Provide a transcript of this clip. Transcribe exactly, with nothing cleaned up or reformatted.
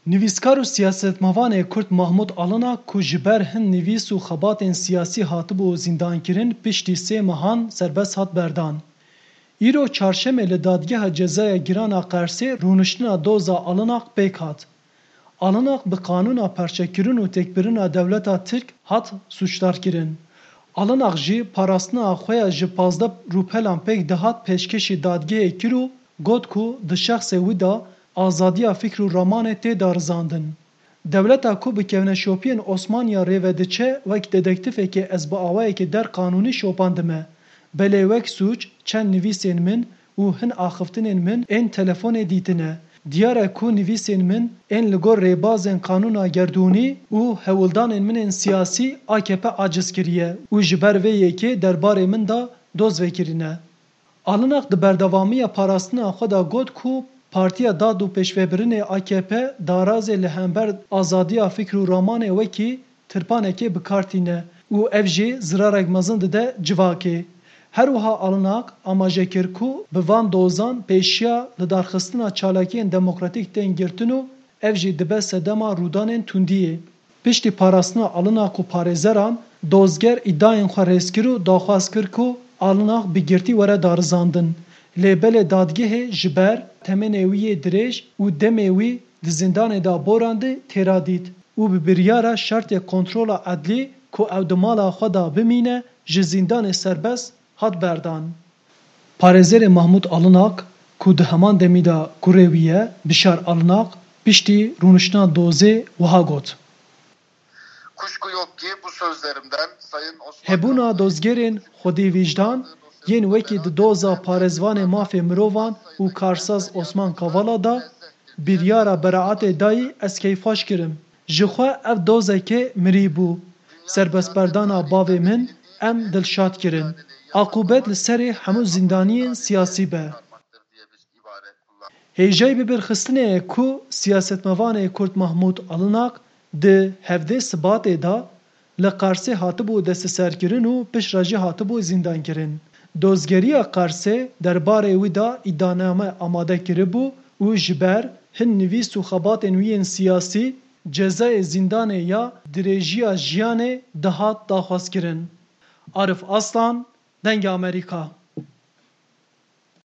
Nivîskar û siyasetmevanê Kurd Mahmûd Alinak ku ji ber hin nivîs û xebatên siyasî hatibû zîndankirin, piştî sê mehan serbest hat berdan. Îro çarşemê li Dadgeha Cezaya Giran a Qersê rûniştina doza Alinak pêk hat. Alinak bi qanûna parçekirin û têkbirina dewleta Tirk hat sûcdarkirin. Alinak jî parastina xwe ya ji pazdeh rûpelan pêk dihat pêşkêşî dadgehê kir û got ku di şexsê wî de azadiya fikr û ramanê tê darizandin. Dewleta ku bi kevneşopiyên Osmaniya rê ve diçe, wek dedektîfekê ez bi awayekî der qanûnî şopandime. Belê wek sûc çend nivîsên min û hin axiftinên min ên telefonê dîtine. Diyar e ku nivîsên min ên li gor rêbazên qanûna gerdûnî û hewldanên min ên siyasî A K P aciz kiriye û ji ber vê yekê derbarê min de doz vekirîne. Alinak di berdewamiya parastina xwe de got ku Partiya Dad û Pêşvebirinê A K P darazê li hember azadiya fikr û ramanê wekî tirpanekê bi kar tîne û ev jî zirarek mezin dide civakê. Her wiha Alinak amaje kir ku bi van dozan pêşiya lidarxistina çalakiyên demokratîk tên girtin û ev jî dibe sedema rûdanên tundiyê. Piştî parastina Alinak û parêzeran, dozger îdayên xwe rêz kir û daxwaz kir ku Alinak bi girtî were darizandin. Lê belê dadgehê ji ber temênê wî yê dirêj û demê wî di zîndanê de borandî têra dît û bi biryara şertê kontrola edlî ku ew di mala xwe de bimîne, ji zîndanê serbest hat berdan. Parêzerê Mahmûd Alinak ku di heman demî de kurê wî ye, Bişar Alinak, piştî rûniştina dozê wiha got. Kuşku yok ki bu sözlerimden Sayın Osman Hebûna Kavala'yı dozgerên xwedî vîjdan yên wekî di doza parêzvanê mafê mirovan û karsaz Osman Kavala de biryara beraetê dayî ez keyfxweş kirim. Ji xwe ev dozeke mirî bû. Serbestberdana bavê min em dilşad kirin. Aqûbet li serê hemû zîndaniyên siyasî be. Hêjayî bibirxistinê ye ku siyasetmevanê Kurd Mahmûd Alinak di hevdê Sibatê de li Qersê hatibû desteserkirin û piştre jî hatibû zîndankirin. Dozgeriya Qersê derbarê wî de îdianame amade kiribû û ji ber hin nivîs û xebatên wî yên siyasî cezayê zîndanê ya dirêjiya jiyanê dihat daxwazkirin. Arif Aslan, Dengê Amerîka.